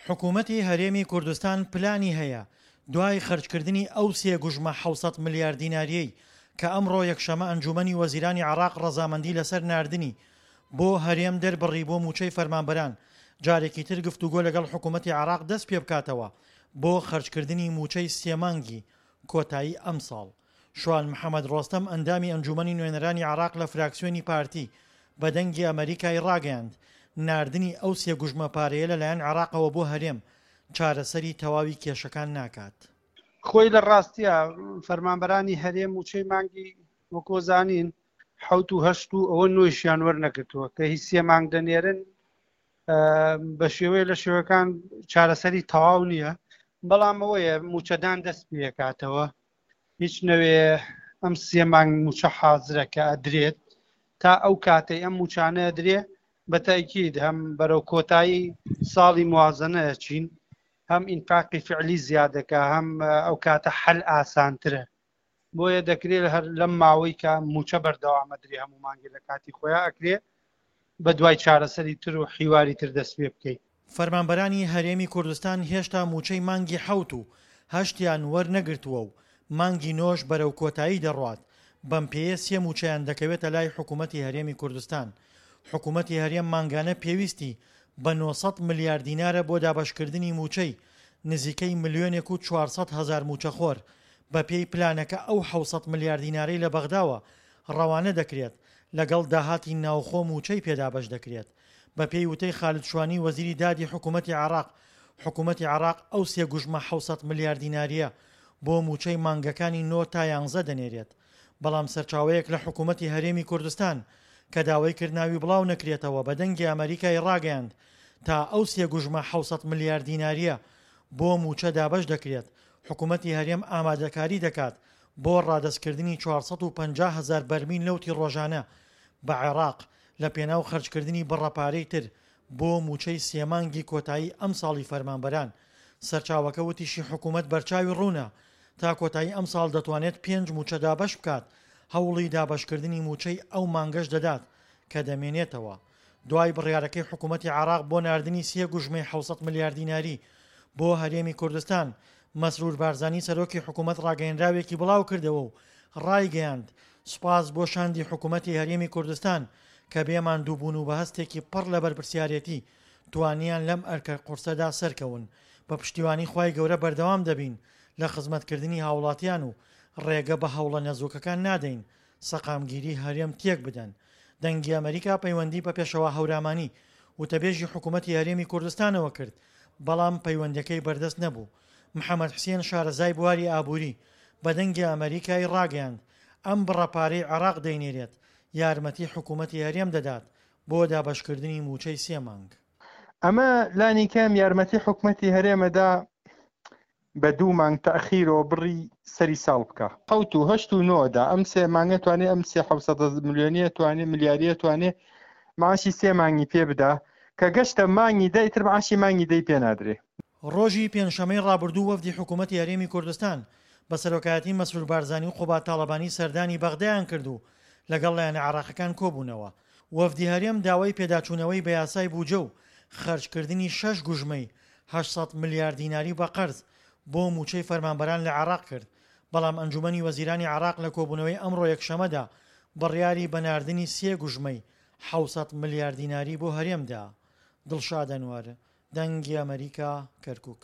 حکوومەتی هەرێمی کوردستان پلانی هەیە دوای خەرجکردنی ئەو سێ گوژمە 700 ملیار دینارییەی کە ئەمڕۆ یەکشەمە ئەنجوومەنی وەزیرانی عێراق ڕەزامەندی لەسەر ناردنی بۆ هەرێم دەربڕی بۆ مووچەی فەرمانبەران، جارێکی تر گفتوگۆ لەگەڵ حکوومەتی عێراق دەست پێبکاتەوە بۆ خەرجکردنی مووچەی سێ مانگی کۆتایی ئەمساڵ. شوان محەمەد ڕۆستەم ئەندامی ئەنجوومەنی نوێنەرانی عێراق لە فراکسیۆنی پارتی بە دەنگی ئەمەریکای ڕاگەیاند، ناردنی ئەو سێ گوژمە پارەیە لەلایەن عێراقەوە بۆ هەرێم چارەسەری تەواوی کێشەکان ناکات. خۆی لە ڕاستیا فەرمانبەرانی هەرێم مووچەی مانگی وەکۆ زانین حەوت و هەشت و ئەوە نۆیشیان وەرنەگرتووە کە هی سێ مانگ دەنێرن بە شێوەیە لە شێوەکان چارەسەری تەواو نییە بەڵام ئەوەیە موچەدان دەست پێکاتەوە هیچ نەوێ ئەم سێ مانگ موچە حازرە کە ئەدرێت تا ئەو کاتەی ئەم موچانە ئەدرێ بە تاکید هەم بەرەو کۆتایی ساڵی موازنە ئەچین هەم ئینفاقی فعلی زیادەکە هەم ئەو کاتە حەل ئاسانترە بۆیە دەکرێت هەر لەم ماوەی کە موچە بەردەوامە درێ هەموو مانگێ لە کاتی خۆیان ئەکرێ بە دوای چارەسەری تر و حیواری تر دەست پێ بکەی. فەرمانبەرانی هەرێمی کوردستان هێشتا مووچەی مانگی حەوت و هەشتیان وەرنەگرتووە و مانگی نۆش بەرەو کۆتایی دەڕوات، بەم پێیە سێ مووچەیان دەکەوێتە لای حکوومەتی هەرێمی کوردستان. حکوومەتی هەرێم مانگانە پێویستی بە 900 ملیار دینارە بۆ دابەشکردنی مووچەی نزیکەی ملیۆنێک و 400 هەزار مووچەخۆر، بەپێی پلانەکە ئەو 700 ملیار دینارەی لە بەغداوە ڕەوانە دەکرێت، لەگەڵ داهاتی ناوخۆ مووچەی پێ دابەش دەکرێت. بەپێی وتەی خالد شوانی وەزیری دادی حکوومەتی عێراق، حکوومەتی عێراق ئەو سێ گوژمە 700 ملیار دینارییە بۆ مووچەی مانگەکانی نۆ تا یانزە دەنێرێت. بەڵام سەرچاوەیەک لە حکوومەتی هەرێمی کوردستان کە داوای کرد ناوی بڵاو نەکرێتەوە بە دەنگی ئەمەریکای ڕاگەیاند تا ئەو سێ گوژمە 700 ملیار دینارییە بۆ مووچە دابەش دەکرێت حکوومەتی هەرێم ئامادەکاری دەکات بۆ ڕادەستکردنی 450 هەزار بەرمیل نەوتی ڕۆژانە بە عێراق لە پێناو خەرجکردنی بڕە پارەی تر بۆ مووچەی سێ مانگی کۆتایی ئەمساڵی فەرمانبەران. سەرچاوەکە وتیشی حکومەت بەرچاوی ڕوونە تا کۆتایی ئەمساڵ دەتوانێت پێنج مووچە دابەش بکات، هەوڵی دابەشکردنی مووچەی ئەو مانگەش دەدات کە دەمێنێتەوە. دوای بڕیارەکەی حکومەتی عێراق بۆ ناردنی سێ گوژمەی 700 ملیار دیناری بۆ هەرێمی کوردستان، مەسرور بارزانی سەرۆکی حکومەت ڕاگەیەنراوێکی بڵاوکردەوە و ڕایگەیاند، سوپاس بۆ شاندی حکومەتی هەرێمی کوردستان کە بێ ماندووبوون و بە هەستێکی پڕ لە بەرپرسیارێتی توانیان لەم ئەرکە قورسەدا سەرکەون، بە پشتیوانی خوای گەورە بەردەوام دەبین لە خزمەتکردنی هاوڵاتیان و ڕێگە بە هەوڵە نەزۆکەکان نادەین سەقامگیری هەرێم تێک بدەن. دەنگی ئەمەریکا پەیوەندی بە پێشەوا هەورامانی، وتەبێژی حکومەتی هەرێمی کوردستانەوە کرد، بەڵام پەیوەندیەکەی بەردەست نەبوو. محەمەد حسێن شارەزای بواری ئابووری، بە دەنگی ئەمەریکای ڕاگەیاند، ئەم بڕە پارەی عێراق دەینێرێت، یارمەتی حکومەتی هەرێم دەدات بۆ دابەشکردنی مووچەی سێ مانگ. ئەمە لانیکەم یارمەتی حکومەتی هەرێمەدا بە دوو مانگ تەئخیرەوە بڕی سەری ساڵ بکا. حەوت و هەشت و نۆ دا ئەم سێ مانگە توانێ ئەم سێ حەوسەدە ملیۆنیە توانێ ملیاریە توانێ معاشی سێ مانگی پێ بدا کە گەشتە مانگی دە ئیتر معاشی مانگی دەی پێ نادرێ. ڕۆژی پێنجشەمەی ڕابردوو وەفدی حکوومەتی هەرێمی کوردستان بە سەرۆکایەتی مەسرور بارزانی و قوباد تاڵەبانی سەردانی بەغدایان کرد و لەگەڵ لایەنە عێراقەکان کۆبوونەوە. وەفدی هەرێم داوای پێداچوونەوەی بە یاسای بوجە و خەرجکردنی شەش گوژمەی 800 ملیار دیناری بە قەرز بۆ مووچەی فەرمانبەران لە عێراق کرد، بەڵام ئەنجوومەنی وەزیرانی عێراق لە کۆبوونەوەی ئەمڕۆ یەکشەمەدا بڕیاری بە ناردنی سێ گوژمەی 700 ملیار دیناری بۆ هەرێم دا. دڵشاد ئەنوەر، دەنگی ئەمەریکا، کەرکوک.